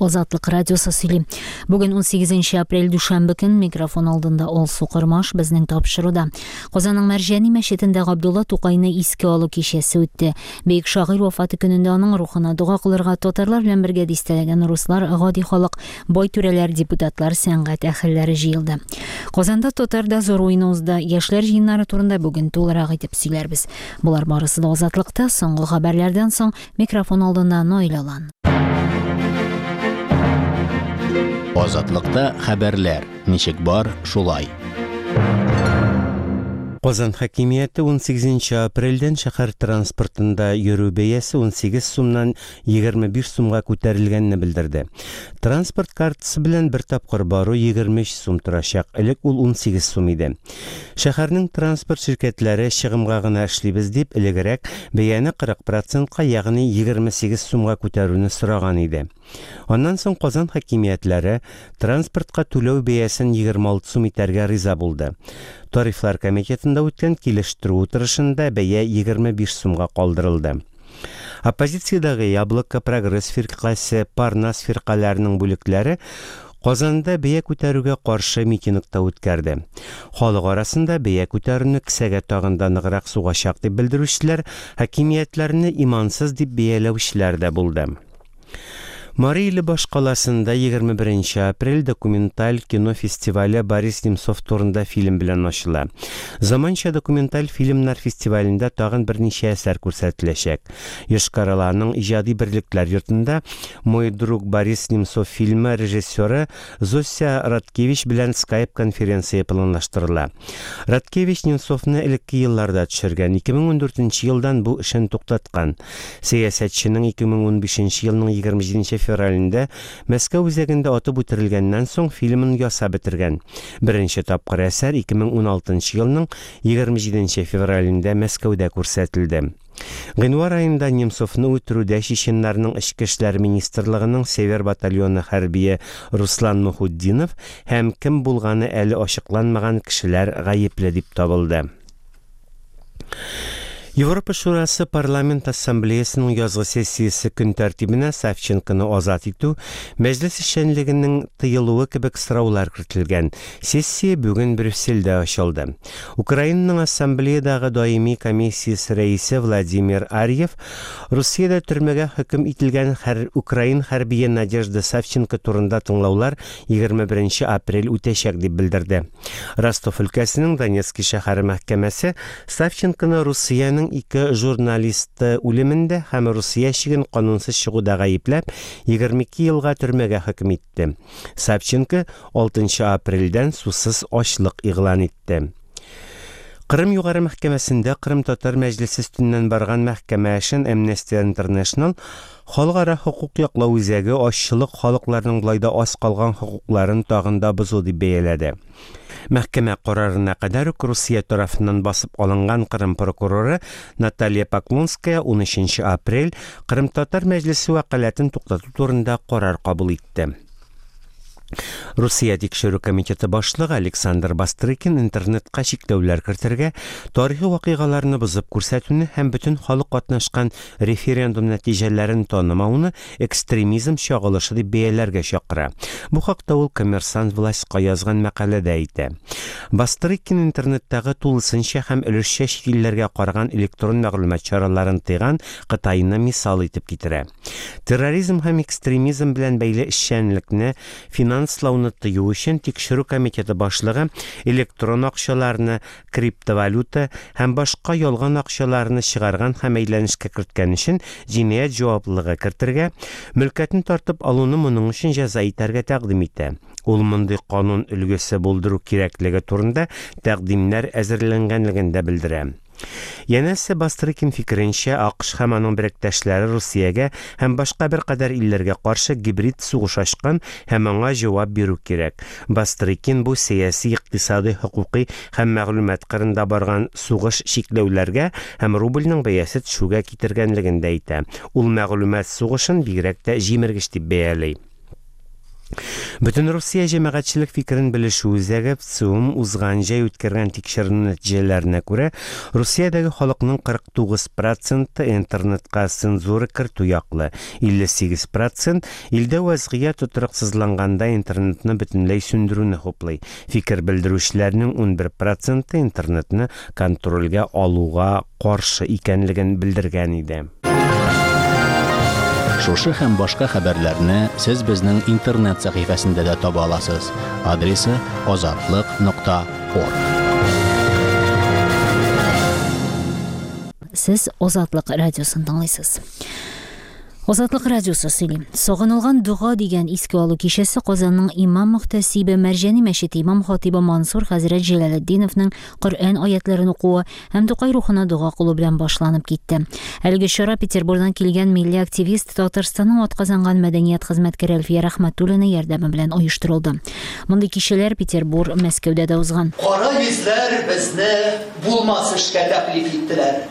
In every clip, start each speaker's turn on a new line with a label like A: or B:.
A: Азатлык радиосы сөйли. Бүген 18 апрель дүшәмбе көн микрофон алдында Алсу Кормаш безнең тапшыруда. Казанның Мәрҗани мәчетендә Габдулла Тукайны искә алу кичәсе үтте. Бөек шагыйрь вафаты көнендә аның рухына дога кылырга татарлар белән бергә дистәләгән руслар, гади халык, бай түрәләр, депутатлар, сәнгать әһелләре җыелды. Казанда татар дозор уены узды. Яшьләр җыеннары турында бүген тулырак итеп сөйләрбез. Болар барысы да Азатлыкта соңгы хәбәрләрдән соң микрофон алдында Наил Алан.
B: Азатлыкта хәбәрләр ничек бар, шулай.
C: Казан хакимияте 18 апрельдән шәһәр транспортында йөрү бәясе 18 сумнан 25 сумга күтәрелгәнне белдерде. Транспорт картасы белән бер тапкыр бару 23 сум торачак, элек ул 18 сум иде. Шәһәрнең транспорт ширкәтләре чыгымга гына эшлибез дип, элегрәк бәяне 40 процентка, ягъни 28 сумга күтәрүне сораган иде. Аннан соң Казан хакимиятләре транспортка түләү бәясен 26 сум итәргә риза булды. Тарифлар комитетында үткән килештерү утырышында бәя 25 сумга калдырылды. Оппозициядәге Яблоко, Прогресс фиркасе, Парнас фиркаләренең бүлекләре Казанда бәя күтәрүгә каршы митинг та үткәрде. Халык арасында бәя күтәрүне кесәгә тагын да ныграк сугачак дип белдерүчеләр, хакимиятләрне имансыз дип бәяләүчеләр дә булды. Мари Иле башкаласында 21 апрель документаль кино фестивале Борис Немцов турында фильм белән ачыла. Заманча документаль фильмнар фестивалендә тагын берничә әсәр күрсәтеләчәк. Йошкар-Оланың иҗади берлекләр йортында Мой друг Борис Немцов фильмы режиссеры Зося Радкевич белән скайп-конференция планлаштырыла. Радкевич Немцовны элекке елларда төшергән, 2014 елдан бу эшен туктаткан. Сәясәтченең 2015 елның 27 февралендә Мәскәү үзәгендә атып үтерелгәннән соң фильмын ясап бетергән. Беренче тапкыр әсәр 2016 елның 27 февралендә Мәскәүдә күрсәтелде. Гыйнвар аенда Немцовны үтерүдә чеченнарның Эчке эшләр министрлыгының Север батальоны хәрбие Руслан Мухутдинов һәм кем булганы әле ачыкланмаган кешеләр гаепле дип табылды. Европа Шурасы Парламент Ассамблеясының язгы сессиясе көн тәртибенә Савченконы азат итү, мәҗлес эшчәнлегенең тыелуы кебек сораулар кертелгән. Сессия бүген Брюссельдә ачылды. Украинаның Ассамблеядагы даими комиссиясе рәисе Владимир Арьев Русиядә төрмәгә хөкем ителгән хәр украин хәрбие Надежда Савченко турында тыңлаулар 21 апрель үтәчәк дип белдерде. Ростов өлкәсенең Донецки шәһәре мәхкәмәсе Савченконы Русиянең ике журналисты үлемендә һәм Русия чиген канунсыз чыгуда гаепләп, 22 елга төрмәгә хөкем итте. Савченко 6 апрельдән сусыз ачлык игълан итте. Кырым Югары мәхкәмәсендә Кырым татар мәҗлесе өстеннән барган мәхкәмә эшен Amnesty International Халыкара хокук яклау үзәге азчылык халыкларның болай да аз калган хокукларын тагын да бозу дип бәяләде. Мәхкәмә карарына кадәр үк Русия тарафыннан басып алынган Кырым прокуроры Наталья Поклонская 13 апрель Кырым татар мәҗлесе вәкаләтен туктату турында карар кабул итте. Русия тикшерү комитеты башлыгы Александр Бастрыкин интернетка чикләүләр кертергә, тарихи вакыйгаларны бозып күрсәтүне һәм бөтен халык катнашкан референдум нәтиҗәләрен танымауны экстремизм чагылышы дип бәяләргә чакыра. Бу хакта ул Коммерсант властька язган мәкаләдә әйтә. Бастрыкин интернеттагы тулысынча һәм өлешчә чит илләргә караган электрон мәгълүмат чараларын тыйган Кытайны мисал итеп китерә. Терроризм һәм экстремизм белән бәйле эшчәнлекне финанслауны тыю өчен тикшерү комитеты башлыгы электрон акчаларны, криптовалюта һәм башка ялган акчаларны чыгарган һәм әйләнешкә керткән өчен җинаять җаваплылыгы кертергә, мөлкәтен тартып алуны моның өчен җәза итәргә тәкъдим итә. Ул мондый канун өлгесе булдыру кирәклеге турында тәкъдимнәр әзерләнгәнлеген дә белдерә. Янәсе Бастрыкин фикеренчә, АКШ һәм аның беректәшләре Русиягә һәм башка беркадәр илләргә каршы гибрид сугыш ачкан һәм аңа җавап бирү кирәк. Бастрыкин бу сәяси, икътисадый, хокукый һәм мәгълүмат кырында барган сугыш чикләүләргә һәм рубльнең бәясе төшүгә китергәнлеген дә әйтә. Ул мәгълүмат сугышын бигрәк тә җимергеч дип бәяли. Бөтенрусия җәмәгатьчелек фикерен белешү үзәге, ВЦИОМ, узган җәй үткәргән тикшеренү нәтиҗәләренә күрә, Русиядәге халыкның 49 проценты интернетка цензура кертү яклы, 58 процент, илдә вәзгыять тотрыксызланганда интернетны бөтенләй сүндерүне хуплый. Фикер белдерүчеләрнең 11 проценты интернетны контрольгә алуга каршы икәнлеген белдергән иде.
B: Шушы һәм башка хәбәрләрне сез безнең интернет сәхифәсендә дә таба аласыз. Адресы азатлык нокта орг.
A: Сез Азатлык радиосын тыңлыйсыз. Азатлык радиосы сөйли. Сагынылган дога дигән искә алу кичәсе Казанның имам-мөхтәсибе Мәрҗани мәчете имам-хатыйбы Мансур хәзрәт Җәләлетдиновның Коръән аятләрен укуы һәм Тукай рухына дога кылу белән башланып китте. Әлеге чара Петербурдан килгән милли активист, Татарстанның атказанган мәдәният хезмәткәре Әлфия Рәхмәтуллина ярдәме белән оештырылды. Мондый кичәләр Петербур, Мәскәүдә дә узган.
D: Кара йөзләр безне булмас эшкә тәкълиф иттеләр.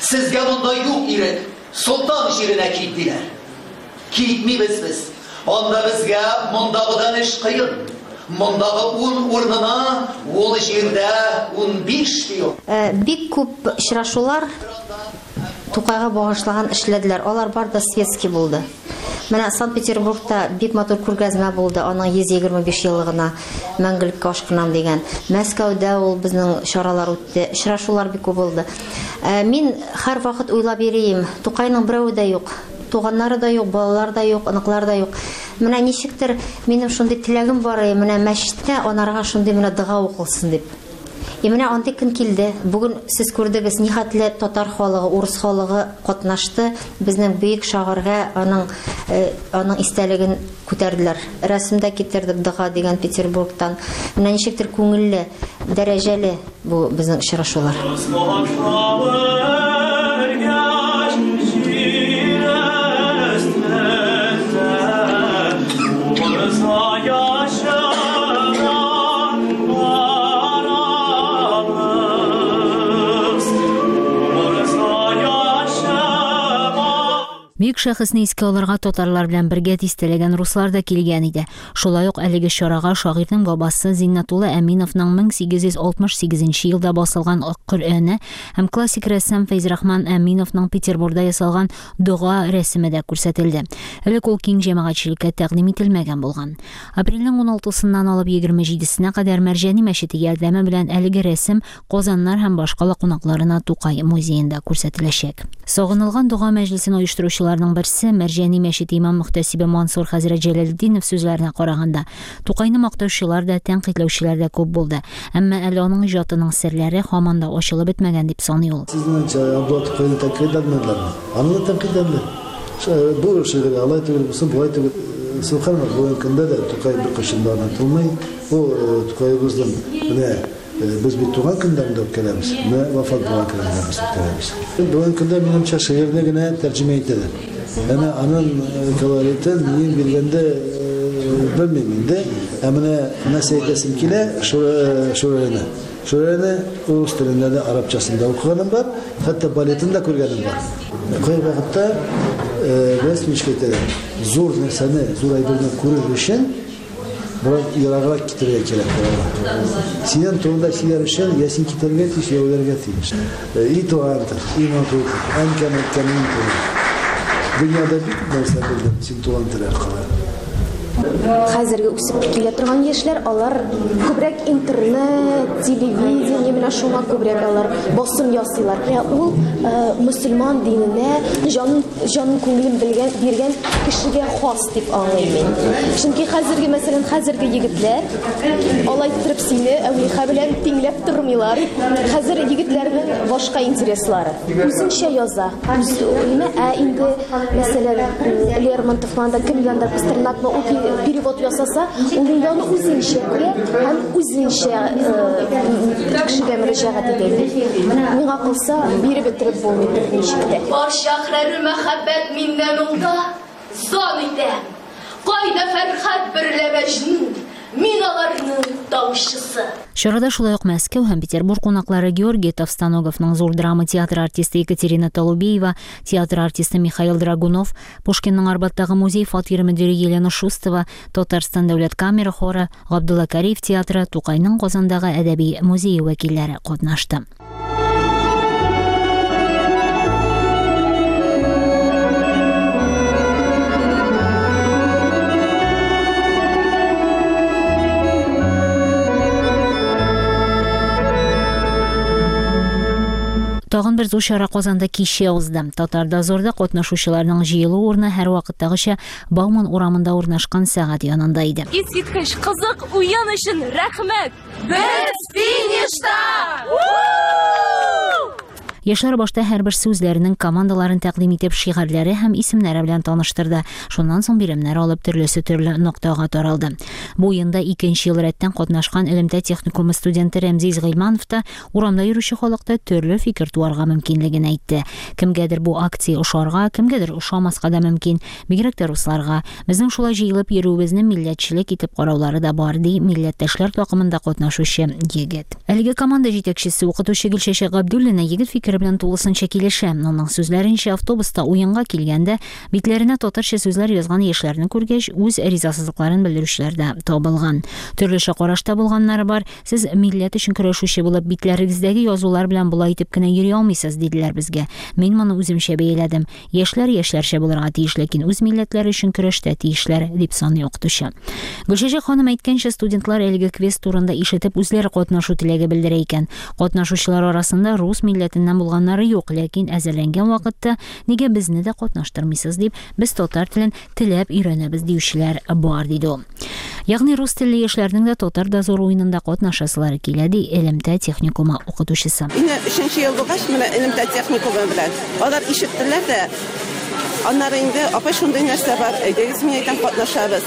D: Сезгә монда юк ирек, Солтан җиренә кит, диләр. Китмибез без. Анда безгә мондагыдан эш кыен. Мондагы ун урынына ул җирдә 15 пион.
E: Бик күп очрашулар Тукайга багышлаган эшләделәр. Алар бар да светский булды. Менә Санкт-Петербургта бик матур күргәзмә булды, аның 125 еллыгына Мәңгелеккә ашкынам дигән. Мәскәүдә ул безнең чаралар үтте, очрашулар бик күп булды. Ә, мин һәрвакыт уйлап йөрием, Тукайның берәве дә юк. Туганнары да юк, балалары да юк, оныклары да юк. Менә ничектер минем шундый теләгем бар, менә мәчеттә анарга шундый менә дога укылсын дип. И менә андый көн килде. Бүген сез күрдегез, нихәтле татар халыгы, урыс халыгы катнашты. Безнең бөек шагыйрьгә аның э, аның истәлеген күтәрделәр. Рәсем дә китердек дога дигән Петербургтан. Менә ничектер күңелле, дәрәҗәле бу безнең очрашулар.
A: Бөек шәхесне искә алырга татарлар белән бергә дистәләгән руслар да килгән иде. Шулай ук әлеге чарага шагыйрьнең бабасы Зиннәтулла Әминовның 1868 елда басылган Ак Коръәне һәм классик рәссам Фәйзрахман Әминовның Петербурда ясалган Дога рәсеме дә күрсәтелде. Элек ул киң җәмәгатьчелеккә тәкъдим ителмәгән булган. Апрельнең уналтысыннан алып 27-сенә кадәр Мәрҗани мәчете ярдәме белән әлеге рәсем казаннар һәм башкала кунакларына Тукай музеенда күрсәтеләчәк. Сагынылган дога мәҗлесен оештыручыларның берсе, Мәрҗани мәчете имам-мөхтәсибе Мансур хәзрәт Җәләлетдинов сүзләренә караганда, Тукайны мактаучылар да, тәнкыйтьләүчеләр дә күп булды. Әмма әле аның иҗатының серләре һаман да ачылып бетмәгән, дип саный ул.
F: Сезнең Абдулла Тукайны тәнкыйтьләмәделәрме? Аны да тәнкыйтьләделәр. Бу шигыре алай түгел, бусы болай түгел. Сөбханалла, бүгенге көндә дә Тукай беркайчан да онытылмый. Бу Тукаебызның менә без бит туган көннәрен дә үткәрәбез, менә вафат булган көнен дә без үткәрәбез. Бүгенге көндә, минемчә, шигырьне генә тәрҗемә итәләр. Әмма аның колоритын мин биргәндә белмим инде. Ә менә нәрсә әйтәсем килә, Шүрәлене. Шүрәлене урыс телендә дә, арабчасын да укыганым бар, хәтта балетын да күргәнем бар. Кайвакытта без ничек әйтәләр, зур нәрсәне, зур әйберне күрер өчен бераз ераграк китәргә кирәк була. Синең турында сөйләр өчен я син китәргә тиеш, я үләргә тиеш. И туган тел, и матур тел, әнкәм әйткән мин тел. Дөньяда бик күп нәрсә белдем син туган тел аркылы.
G: Хәзерге үсеп килә торган яшьләр, алар күбрәк интернет, телевидение, менә шуңа күбрәк алар басым ясыйлар. Менә ул мөселман диненә җанын, җанын күңелен белгән, биргән кешегә хас дип аңлыйм мин. Чөнки хәзерге, мәсәлән, хәзерге егетләр алай иттереп сине Әүлиха белән тиңләп тормыйлар. Хәзер егетләрнең башка интереслары. Үзенчә яза. Үз, ә инде, мәсәлән, Лермонтовмы анда кем янда Пастернакмы ул перевод ясаса, ул инде аны үзенчә күрә һәм үзенчә кешегә мөрәҗәгать итә инде. Миңа калса, биреп бетереп булмый берничек тә.
H: Барча әхләре мәхәббәт миннән уңда зан итә. Кайда Фәрхад берлә Мәҗнүн? Мин аларның таучысы.
A: Чарада шулай ук Мәскәү һәм Петербург кунаклары Георгий Товстоноговның зур драма театры артисты Екатерина Толубеева, театр артисты Михаил Драгунов, Пушкинның Арбаттагы музей фатиры мөдире Елена Шустова, Татарстан дәүләт камера хоры, Габдулла Кариев театры, Тукайның Казандагы әдәби музее вәкилләре катнашты. Тагын бер зур чара Казанда кичә узды. Татар дозорда катнашучыларның җыелу урыны һәрвакыттагыча Бауман урамында урнашкан сәгать янында иде.
H: Искиткеч кызык уен өчен рәхмәт! Без финишта!
A: Яшьләр башта һәрберсе үзләренең командаларын тәкъдим итеп, шигарьләре һәм исемнәре белән таныштырды. Шуннан соң биремнәр алып, төрлесе төрле ноктага таралды. Бу уенда икенче ел рәттән катнашкан элемтә техникумы студенты Рәмзиз Гыйльманов та урамда йөрүче халыкта төрле фикер туарга мөмкинлеген әйтте. Кемгәдер бу акция ошарга, кемгәдер ошамаска да мөмкин. Бигрәк тә русларга. Безнең шулай җыелып йөрүебезне милләтчелек итеп караулары да бар, ди милләттәшләр такымында катнашучы егет. Әлеге команда җитәкчесе, укытучы Гөлчәчәк Габдуллина егет фикере белән тулысынча килешә. Аның сүзләренчә, автобуста уенга килгәндә, битләренә татарча сүзләр язган яшьләрне күргәч, үз ризасызлыкларын белдерүчеләр дә табылган. Төрлечә карашта булганнары бар. Сез милләт өчен көрәшүче булып, битләрегездәге язулар белән болай итеп кенә йөри алмыйсыз, диделәр безгә. Мин моны үземчә бәяләдем. Яшьләр яшьләрчә булырга тиеш, ләкин үз милләтләре өчен көрәштә тиешләр, дип саный укытучы. Гөлчәчәк ханым әйткәнчә, студентлар әлеге квест турында ишетеп, үзләре катнашу теләге белдерә икән. Катнашучылар арасында рус милләтеннән булганнары юк, ләкин әзерләнгән вакытта, нигә безне дә катнаштырмыйсыз дип, без татар телен теләп өйрәнәбез диючеләр бар, диде ул. Ягъни рус телле яшьләрнең дә Татар дозоры уенында катнашасылары килә, ди элемтә техникумы укытучысы.
I: Инде өченче ел булгач, менә элемтә техникумы белән алар ишеттеләр дә, аннары инде, апай, шундый нәрсә бар, әйдәгез, мин әйтәм, катнашабыз.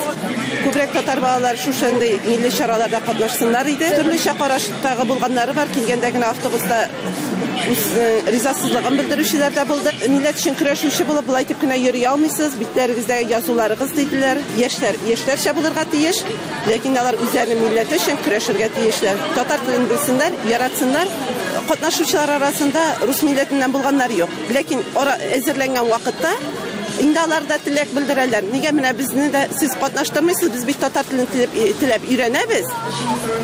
I: Күбрәк татар балалары шушындый милли чараларда катнашсыннар иде. Төрлечә караштагы булганнары бар, килгәндә генә автобуста үз ризасызлыгын белдерүчеләр дә булды. Милләт өчен көрәшүче булып, болай итеп кенә йөри алмыйсыз, битләрегездәге язуларыгыз, диделәр. Яшьләр яшьләрчә булырга тиеш, ләкин алар үзләренең милләте өчен көрәшергә тиешләр. Татар телен белсеннәр, яратсыннар. Катнашучылар арасында рус милләтеннән булганнар юк. Ләкин ара әзерләнгән вакытта инде алар да теләк белдерәләр. Нигә менә безне дә сез катнаштырмыйсыз, без бит татар телен теләп өйрәнәбез.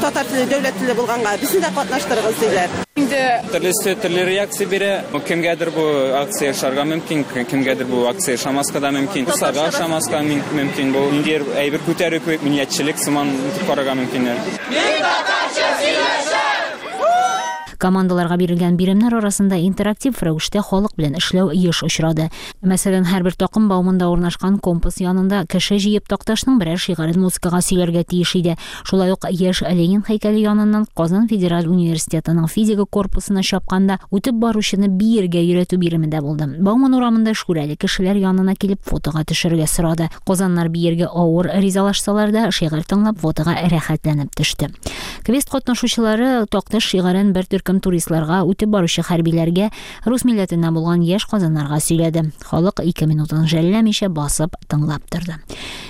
I: Татар теле дәүләт теле булганга, безне дә катнаштырыгыз, диләр.
J: Инде төрлесе төрле реакция бирә. Кемгәдер бу акция ошарга мөмкин, кемгәдер бу акция ошамаска да мөмкин. Русларга ошамаска мөмкин. Бу ниндидер әйбер күтәрү кебек милләтчелек сыман итеп карарга мөмкиннәр.
K: Мин татарча сөйләшәм!
A: Командаларга бирелгән биремнәр арасында интерактив рәвештә халык белән эшләү еш очрады. Мәсәлән, һәрбер такым Бауманда урнашкан компас янында кеше җыеп Такташның берәр шигарен музыкага сөйләргә тиеш иде. Шулай ук яшь Ленин һәйкәле яныннан Казан федераль университетының физика корпусына чапканда үтеп баручыны биергә өйрәтү биреме дә булды. Бауман урамында шүрәле кешеләр янына килеп фотога төшерергә сорады. Казаннар биергә авыр ризалашсалар да, шигырь тыңлап фотога рәхәтләнеп төште. Квест катнашучылары Такташ шигарен бер төркем туристларга, үтеп баручы хәрбиләргә, рус милләтеннән булган яшь казаннарга сөйләде. Халык ике минутын жәлләмичә басып тыңлап торды.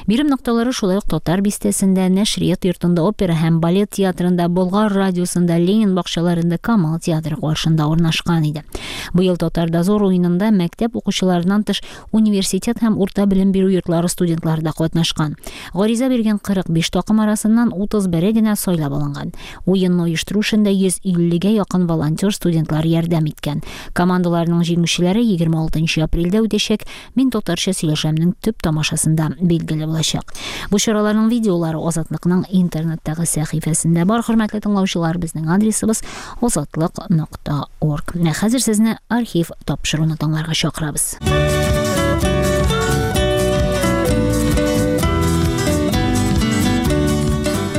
A: Бирем нокталары шулай ук Татар бистәсендә, Нәшрият йортында, опера һәм балет театрында, Болгар радиосында, Ленин бакчаларында, Камал театры каршында урнашкан иде. Быел Татар дозор уенында мәктәп укучыларыннан тыш университет һәм урта белем бирү йортлары студентлары да катнашкан. Гариза биргән 45 такым арасыннан 31-е генә сайлап алынган. Уенны оештыру эшендә 150 гә якын волонтер студентлар ярдәм иткән. Командаларның җиңүчеләре 26 апрельдә үтәчәк Мин татарча сөйләшәмнең төп тамашасында билгеле булачак. Бу чараларның видеолары Азатлыкның интернеттагы сәхифәсендә бар, хөрмәтле тыңлаучылар, безнең адресыбыз азатлык.орг. Менә хәзер сезне архив тапшыруны тыңларга чакырабыз.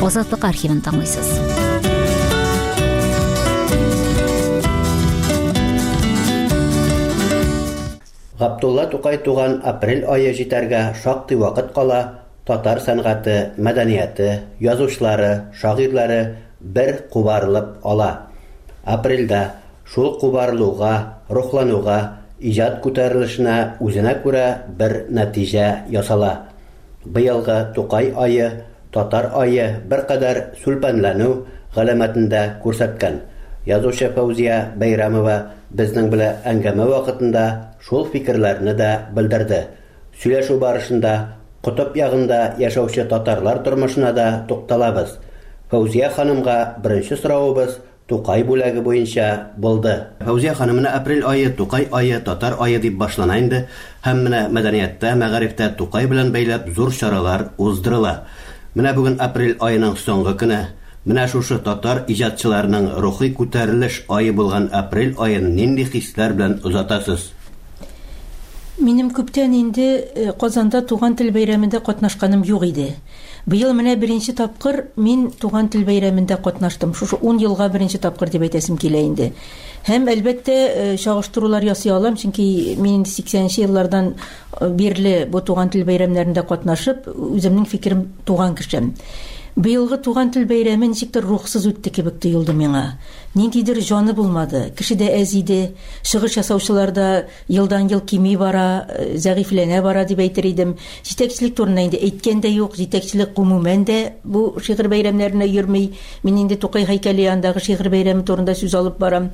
A: Азатлык архивын тыңлыйсыз.
B: Габдулла Тукай туган апрель ае җитәргә шактый вакыт кала, татар сәнгате, мәдәнияте, язучылары, шагыйрьләре бер кубарылып ала. Апрельдә шул кубарылуга, рухлануга, иҗат күтәрелешенә үзенә күрә бер нәтиҗә ясала. Быелгы Тукай ае Татар ае беркадәр сүлпәнләнү галәмәтен дә күрсәткән. Язучы Фәүзия Бәйрәмова безнең белә әңгәмә вакытында шул фикерләрне дә белдерде. Сөйләшү барышында котып ягында яшәүче татарлар тормышына да тукталабыз. Фәүзия ханымга беренче соравыбыз Тукай бүләге буенча булды. Фәүзия ханым, менә апрель ае Тукай ае, татар ае дип башлана инде. Һәм менә мәдәнияттә, мәгарифтә Тукай белән бәйләп зур чаралар уздырыла. Менә бүген апрель аеның соңгы көне. Менә шушы татар иҗатчыларының рухи күтәрелеш ае булган апрель аен нинди хисләр белән озатасыз?
L: Минем күптән инде Казанда Туган тел бәйрәмендә катнашканым юк иде. Быел менә беренче тапкыр мин Туган тел бәйрәмендә катнаштым. Шушы ун елга беренче тапкыр дип әйтәсем килә инде. Һәм, әлбәттә, чагыштырулар ясый алам, чөнки мин инде сиксәненче еллардан бирле бу Туган тел бәйрәмнәрендә катнашып, үземнең фикерем туган кешем. Быелгы Туган тел бәйрәме ничектер рухсыз үтте кебек тоелды миңа. Ниндидер җаны булмады, кеше дә әз иде, чыгыш ясаучылар да елдан-ел кими бара, зәгыйфьләнә бара дип әйтер идем. Җитәкчелек турында инде әйткән дә юк, җитәкчелек гомумән дә бу шигырь бәйрәмнәренә йөрми. Мин инде Тукай һәйкәле янындагы шигырь бәйрәме турында сүз алып барам.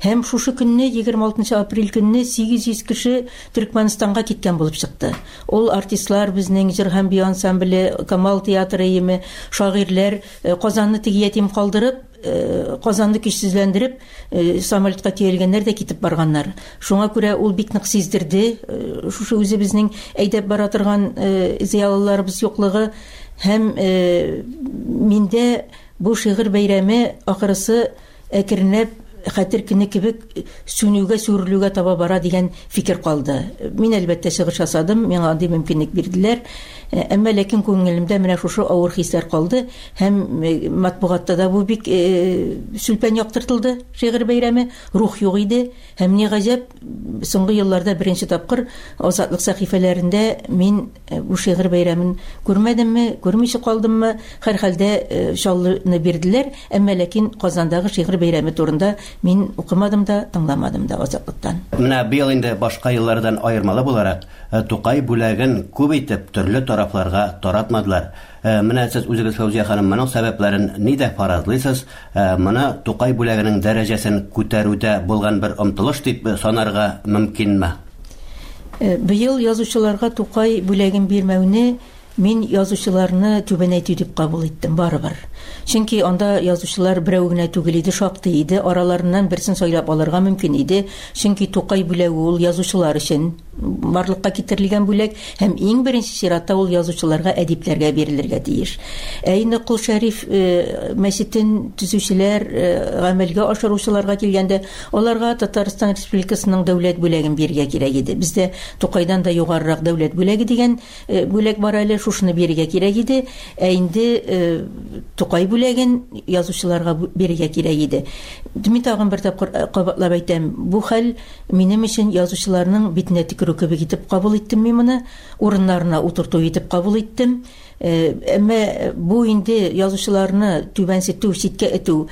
L: Һәм шушы көнне, 26 нчы апрель көнне 800 кеше Төркмәнстанга киткән булып чыкты. Ул артистлар, безнең җыр һәм бию ансамбле, Камал театры өеме, шагыйрьләр Казанны теге ятим калдырып, Казанны көчсезләндереп, самолетка төялгәннәр дә китеп барганнар. Шуңа күрә ул бик нык сиздерде, шушы үзебезнең әйдәп бара торган зыялыларыбыз юклыгы һәм миндә бу шигырь бәйрәме ахырысы әкренләп хәтер көне кебек сүнүгә, сүрелүгә таба бара дигән фикер калды. Мин, әлбәттә, чыгыш ясадым, миңа андый мөмкинлек бирделәр. Әмма ләкин күңелемдә менә шушы авыр хисләр калды. Һәм матбугатта да бу бик сүлпән яктыртылды, шигырь бәйрәме, рух юк иде. Һәм ни гаҗәп, соңгы елларда беренче тапкыр Азатлык сәхифәләрендә мин бу шигырь бәйрәмен күрмәдемме, күрмичә калдыммы, һәрхәлдә Чаллыны бирделәр, әмма ләкин Казандагы шигырь бәйрәме турында мин укымадым да, тыңламадым да Азатлыктан.
B: Менә быел инде башка еллардан аермалы буларак, Тукай бүләген күп итеп төрле тарафларга таратмадылар. Менә сез үзегез, Фәүзия ханым, моның сәбәпләрен нидә фаразлыйсыз? Моны Тукай бүләгенең дәрәҗәсен күтәрүдә булган бер омтылыш дип санарга мөмкинме?
L: Быел язучыларга Тукай бүләген бирмәүне мин язучыларны түбәнәйтү дип кабул иттем, барыбер. Чөнки анда язучылар берәү генә түгел иде, шактый иде, араларыннан берсен сайлап алырга мөмкин иде. Чөнки Тукай бүләге ул язучылар өчен барлыкка китерелгән бүләк һәм иң беренче чиратта ул язучыларга, әдипләргә бирелергә тиеш. Ә инде Кол Шәриф э, мәчетен төзүчеләр, э, гамәлгә ашыручыларга килгәндә, аларга Татарстан Республикасының дәүләт бүләген бирергә кирәк иде. Бездә Тукайдан да югарырак дәүләт бүләге дигән э, бүләк бар әле, шушыны бирергә кирәк иде. Ә инде Тукай бүләген язучыларга бирергә кирәк иде. Мин тагын бер тапкыр кабатлап әйтәм, бу хәл Минем өчен язучыларның битенә төкерү кебек итеп кабул иттем мин моны, урыннарына утырту итеп кабул иттем. Әмма бу инде язучыларны түбәнсетү, читкә этү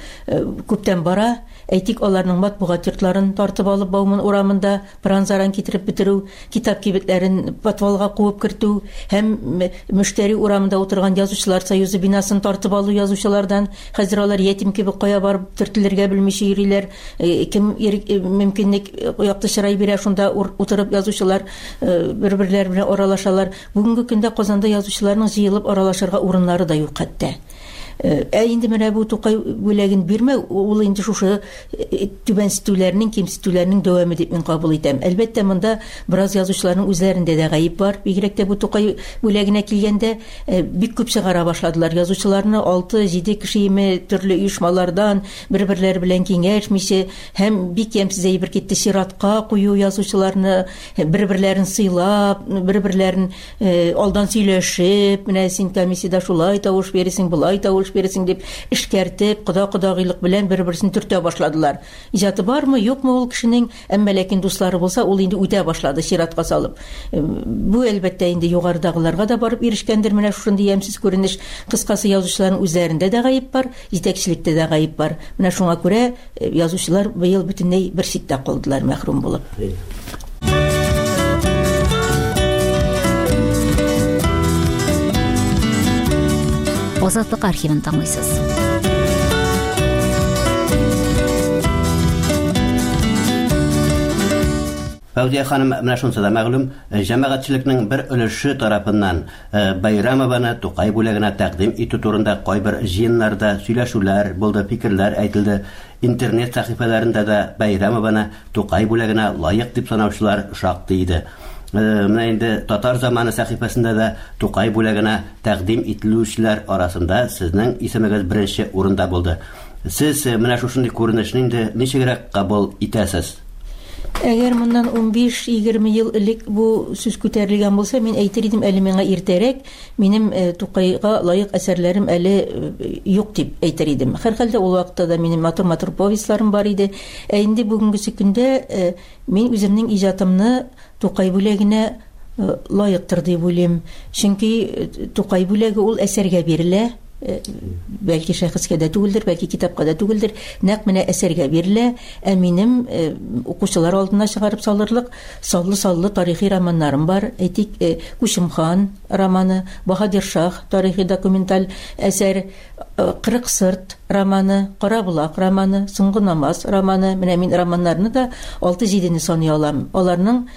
L: күптән бара. Әйтик, аларның матбугат йортларын тартып алып Бауман урамында пыран-заран китереп бетерү, китап кибетләрен подвалга куып кертү һәм Мөштәри урамында утырган Язучылар союзы бинасын тартып алу язучылардан. Хәзер алар ятим кебек кая барып төртелергә белмичә йөриләр. Кем мөмкинлек якты чырай бирә, шунда утырып язучылар бер-берләре белән аралашалар. Бүгенге көндә Казанда язучыларның җыелып аралашырга урыннары да юк хәтта. Ә инде менә бу Тукай бүләген бирмәү, ул инде шушы түбәнсетүләрнең, кимсетүләрнең дәвамы дип мин кабул итәм. Әлбәттә, монда бераз язучыларның үзләрендә дә гаеп бар, бигрәк тә бу Тукай бүләгенә килгәндә. Бик күп чыгара башладылар язучыларны, алты-җиде кешееме төрле оешмалардан, бер-берләре белән киңәшмичә һәм бик ямьсез әйбер китте, чиратка кую язучыларны, бер-берләрен сыйлап, бер-берләрен алдан сөйләшеп, менә син комиссиядә шулай тавыш бирерсең, болай тавыш бирерсең дип эшкәртеп, кода-кодагыйлык белән бер-берсен төртә башладылар. Иҗаты бармы, юкмы ул кешенең, әмма ләкин дуслары булса, ул инде үтә башлады чиратка салып. Бу, әлбәттә, инде югарыдагыларга да барып ирешкәндер менә шушындый ямьсез күренеш. Кыскасы, язучыларның үзләрендә дә гаеп бар, Җитәкчелектә дә гаеп бар. Менә шуңа күрә язучылар быел бөтенләй бер читтә калдылар, мәхрүм булып.
A: Азатлык архивын тыңлыйсыз.
B: Фәүзия ханым, менә шунысы да мәгълүм, җәмәгатьчелекнең бер өлеше тарафыннан Бәйрәмованы Тукай бүләгенә тәкъдим итү турында кайбер җыеннарда сөйләшүләр булды, фикерләр әйтелде. Интернет сәхифәләрендә дә Бәйрәмованы Тукай бүләгенә лаек дип санаучылар шактый иде. Менә инде Татар заманы сәхифәсендә дә Тукай бүләгенә тәкъдим ителүчеләр арасында сезнең исемегез беренче урында булды. Сез менә шушындый күренешне инде ничегрәк кабул итәсез?
L: Әгәр моннан 15-20 ел элек бу сүз күтәрелгән булса, мин әйтер идем, әле миңа иртәрәк, минем Тукайга лаек әсәрләрем әле юк дип әйтер идем. Һәрхәлдә ул вакытта да минем матур-матур повестьларым бар иде. Ә инде бүгенгесе көндә мин үземнең иҗатымны Тукай бүләгенә лаектыр дип уйлыйм. Чөнки Тукай бүләге ул әсәргә бирелә. Бәлки шәхескә дә түгелдер, бәлки китапка да түгелдер, нәкъ менә әсәргә бирелә. Ә минем укучылар алдына чыгарып салырлык саллы-саллы тарихи романнарым бар. Әйтик, Күчем хан романы, Баһадир Шаһ тарихи документаль әсәр, 40 сырт романы, Кара болак романы, Соңгы намаз романы. Менә мин романнарны да алты-җидене саный алам. Аларның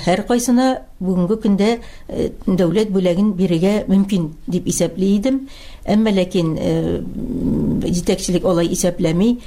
L: һәркайсына бүгенге көндә дәүләт бүләген бирергә мөмкин дип исәпли идем. Әмма ләкин җитәкчелек алай исәпләми.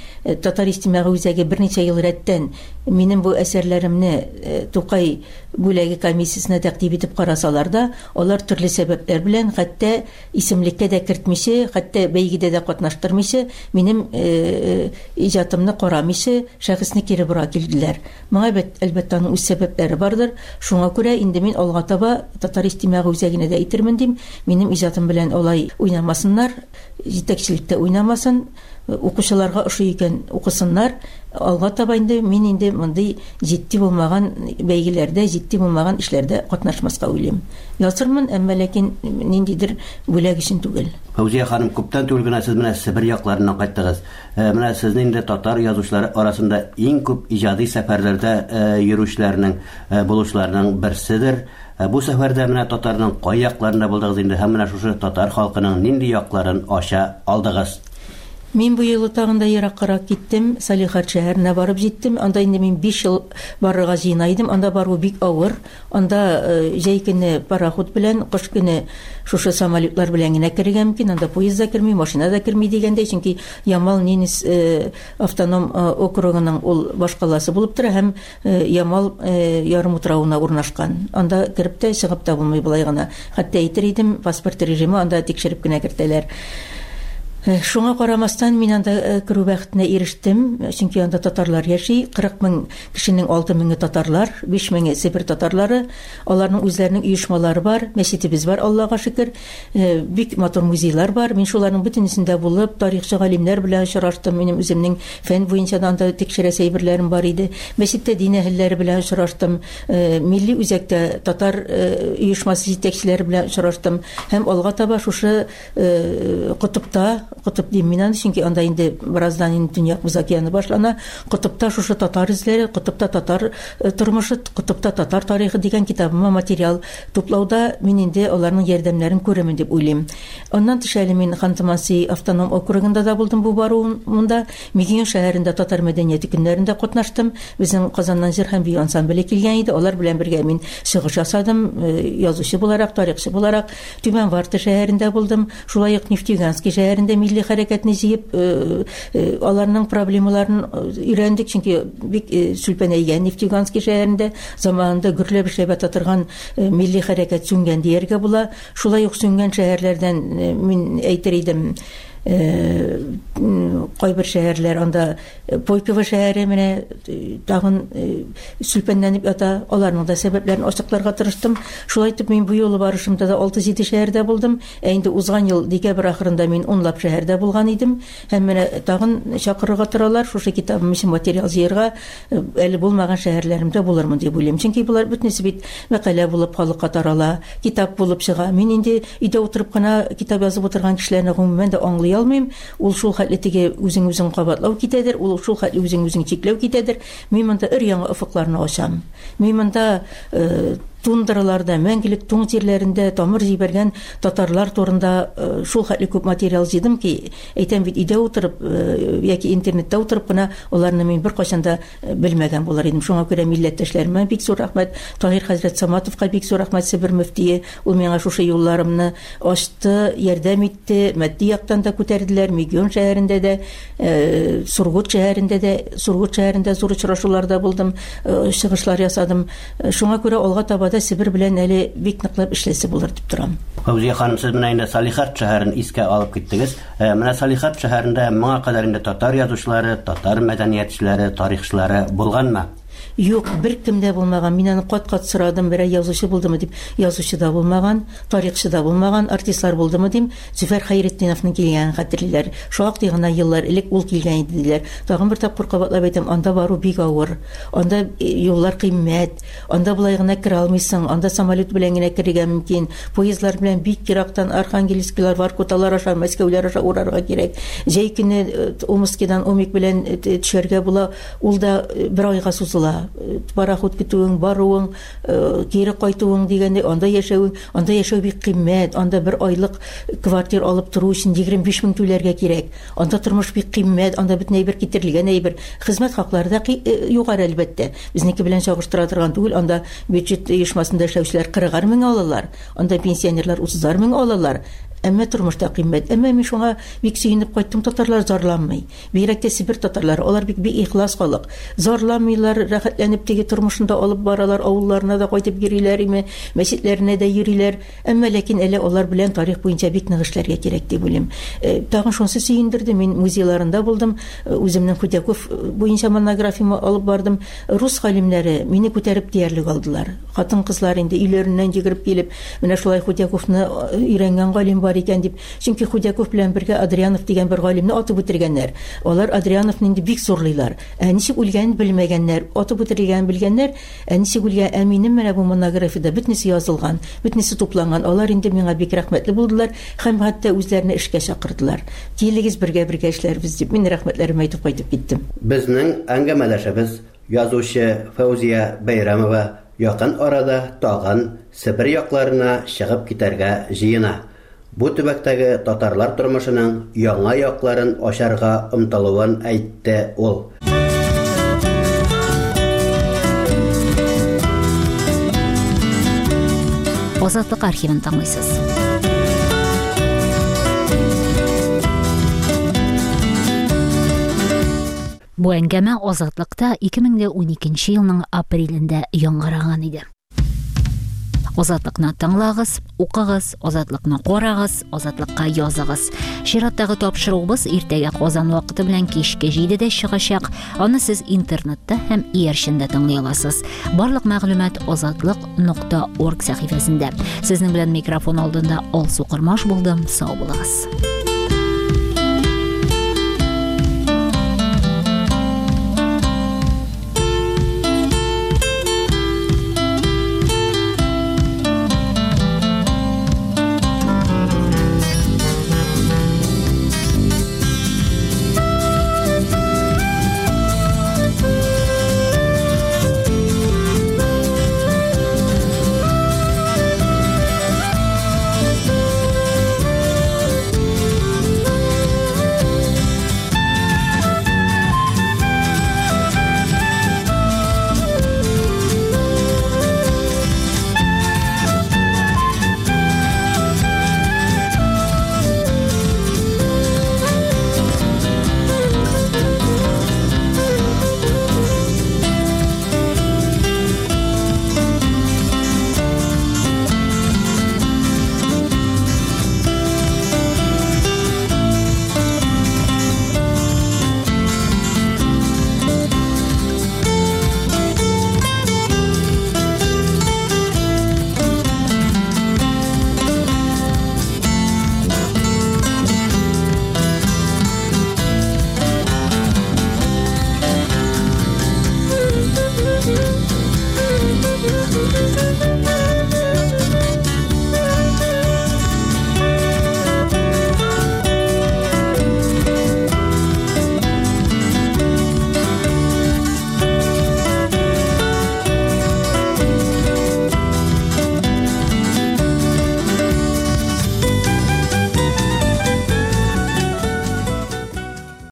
L: Татар иҗтимагый үзәге берничә ел рәттән минем бу әсәрләремне Тукай бүләге комиссиясенә тәкъдим итеп карасалар да, алар төрле сәбәпләр белән, хәтта исемлеккә дә кертмичә, хәтта бәйгедә дә катнаштырмыйча, минем иҗатымны карамыйча, шәхесне кире бора килделәр. Моңа, әлбәттә, аның үз сәбәпләре бардыр. Шуңа күрә инде мин алга таба Татар иҗтимагый үзәгенә дә әйтермен дим, минем иҗатым белән алай уйнамасыннар, җитәкчелек тә уйнамасын, укучыларга ошый икән, укысыннар. Алга таба инде мин инде мондый җитди булмаган бәйгеләрдә, җитди булмаган эшләрдә катнашмаска уйлыйм. Язырмын, әмма ләкин ниндидер бүләк өчен түгел.
B: Фәүзия ханым, күптән түгел генә сез менә Себер якларыннан кайттыгыз. Менә сезне инде татар язучылары арасында иң күп иҗади сәфәрләрдә йөрүчеләрнең, булучыларның берседер. Бу сәфәрдә менә татарның кай якларында булдыгыз инде һәм менә шушы татар халкының нинди якларын ача алдыгыз?
L: Мин бу юлы тагын да ераккарак киттем, Салехард шәһәренә барып җиттем. Анда инде мин биш ел барырга җыена идем. Анда бару бик авыр. Анда җәй көне пароход белән, кыш көне шушы самолетлар белән генә керергә мөмкин. Анда поезд да керми, машина да керми дигәндәй, чөнки Ямал-Ненец автоном округының ул башкаласы булып тора һәм Ямал ярымутравына урнашкан. Анда кереп тә, чыгып та булмый болай гына. Хәтта әйтер идем, паспорт режимы анда тикшереп кенә кертәләр. Шуңа карамастан, мин анда керү бәхетенә ирештем, чөнки анда татарлар яши, 40 мең Кешенең алты меңе татарлар, биш меңе Себер татарлары. Аларның үзләренең оешмалары бар, мәчетебез бар, Аллага шөкер. Бик матур музейлар бар. Мин шуларның бөтенесендә булып, тарихчы галимнәр белән очраштым. Минем үземнең фән буенча да анда тикшерәсе әйберләрем бар иде. Мәчеттә дин әһелләре белән очраштым. Милли үзәктә татар оешмасы җитәкчеләре белән очраштым. Һәм алга таба шушы Котыпта, котып дим мин аны, чөнки анда инде бераздан инде Төньяк Боз океаны башлана. Котыпта шушы татар эзләре, котыпта татар тормышы, котыпта татар тарихы дигән китабыма материал туплауда мин инде аларның ярдәмнәрен күрермен дип уйлыйм. Аннан тыш әле мин Ханты-Мансий автоном округында да булдым бу баруымда. Мегион шәһәрендә татар мәдәнияте көннәрендә катнаштым. Безнең Казаннан җыр һәм бию ансамбле килгән иде. Алар белән бергә мин чыгыш ясадым, язучы буларак, тарихчы буларак. Түбән Варта шәһәрендә булдым. Шулай ук Нефтеюганский шәһәрендә милли хәрәкәтне җыеп, аларның проблемаларын өйрәндек, чөнки бик сүлпәнәйгән Нефтеюганский шәһәрендә заманында гөрләп эшләп ята торган милли хәрәкәт сүнгән дияргә була. Шулай ук сүнгән шәһәрләрдән мин әйтер идем, кайбер шәһәрләр анда Пойково шәһәре менә тагын сүлпәнләнеп ята. Аларның да сәбәпләрен ачыкларга тырыштым. Шулай итеп, мин бу юлы барышымда да 6-7 шәһәрдә булдым. Ә инде узган ел декабрь ахырында мин унлап шәһәрдә булган идем. Һәм менә тагын чакырырга торалар. Шушы китабым өчен материал җыярга әле булмаган шәһәрләремдә булырмын дип уйлыйм. Чөнки болар бөтенесе бит мәкалә булып халыкка тарала, китап булып чыга. Мин инде өйдә утырып кына китап язып утырган кешеләрне гомумән дә аңлый алмыйм. Ул шул хәтле теге үзең-үзең кабатлау китәдер, ул шул хәтле үзең-үзең чикләү китәдер. Мин монда өр-яңа офыкларны ачам. Мин монда Тундраларда, мәңгелек туң җирләрендә тамыр җибәргән татарлар турында шул хәтле күп материал җыйдым ки, әйтәм бит, өйдә утырып яки интернетта утырып кына аларны мин беркайчан да белмәгән булыр идем. Шуңа күрә милләттәшләремә бик зур рәхмәт. Таһир хәзрәт Саматовка бик зур рәхмәт, Себер мөфтие. Ул миңа шушы юлларымны ачты, ярдәм итте, матди яктан да күтәрделәр. Мегион шәһәрендә дә, Сургут шәһәрендә дә, Сургут шәһәрендә зур очрашуларда булдым, чыгышлар ясадым. Шуңа күрә алга таба да Себер белән әле бик ныклап эшләсе булыр дип торам.
B: Фәүзия ханым, сез менә инде Салехард шәһәрен искә алып киттегез. Менә Салехард шәһәрендә моңа кадәр инде татар язучылары, татар мәдәниятчеләре, тарихчылары булганмы?
L: Юк, беркем дә булмаган. Мин аны кат-кат сорадым, берәр язучы булдымы дип. Язучы да булмаган, тарихчы да булмаган, артистлар булдымы дим. Зөфәр Хәйретдиновның килгәнен хәтерлиләр. Шактый гына еллар элек ул килгән иде, диләр. Тагын бер тапкыр кабатлап әйтәм, анда бару бик авыр. Анда юллар кыйммәт. Анда болай гына керә алмыйсың. Анда самолет белән генә керергә мөмкин. Поездлар белән бик ерактан Архангельскилар, Воркуталар аша, Мәскәүләр аша урарга кирәк. Җәй көне Омскидан Омик белән төшәргә була. Ул да бер айга сузыла. Пароход көтүең, баруың, кире кайтуың дигәндәй, анда яшәвең, анда яшәү бик кыйммәт, анда бер айлык квартир алып тору өчен 25 мең түләргә кирәк. Анда тормыш бик кыйммәт, анда бөтен әйбер китерелгән әйбер. Хезмәт хаклары да югары, әлбәттә. Безнеке белән чагыштыра торган түгел, анда бюджет оешмасында эшләүчеләр кырыгар мең алалар, анда пенсионерлар утызар мең алалар. Әмма тормыш та кыйммәт. Әмма мин шуңа бик сөенеп кайттым, татарлар зарланмый. Бигрәк тә Себер татарлары, алар бик бик ихлас халык. Зарланмыйлар, рәхәтләнеп теге тормышын да алып баралар, авылларына да кайтып йөриләр име, мәчетләренә дә йөриләр. Әмма ләкин әле алар белән тарих буенча бик нык эшләргә кирәк дип уйлыйм. Тагын шунысы сөендерде, мин музейларында булдым, үземнең Худяков буенча монографияме алып бардым. Рус галимнәре мине күтәреп диярлек алдылар. Хатын-кызлар инде өйләреннән йөгереп килеп, менә шулай Худяковны өйрәнгән галим бар икән дип. Чөнки Худяков белән бергә Адрианов дигән бер галимне атып үтергәннәр. Алар Адриановны инде бик зурлыйлар. Ә ничек үлгәнен белмәгәннәр. Атып үтерелгәнен белгәннәр, ә ничек үлгән, ә минем менә бу монографиядә бөтенесе язылган, бөтенесе тупланган. Алар инде миңа бик рәхмәтле булдылар һәм хәтта үзләренә эшкә чакырдылар. Килегез, бергә-бергә эшләрбез дип, мин рәхмәтләремне әйтеп кайтып киттем.
B: Безнең әңгәмәдәшебез, язучы Фәүзия Бәйрәмова якын арада тагын Себер якларына чыгып китәргә җыена. Бу төбәктәге татарлар тормышының яңа якларын ачарга омтылуын әйтте ул.
A: Азатлык архивын тыңлыйсыз. Бу әңгәмә Азатлыкта 2012 елның апрелендә яңгыраган иде. Азатлыкны тыңлагыз, укыгыз, Азатлыкны карагыз, Азатлыкка языгыз. Чираттагы тапшыруыбыз иртәгә Казан вакыты белән кичке 7-дә чыгачак. Аны сез интернетта һәм иярчендә тыңлый аласыз. Барлык мәгълүмат азатлык.орг сәхифәсендә. Сезнең белән микрофон алдында Алсу Кормаш булдым. Сау булыгыз.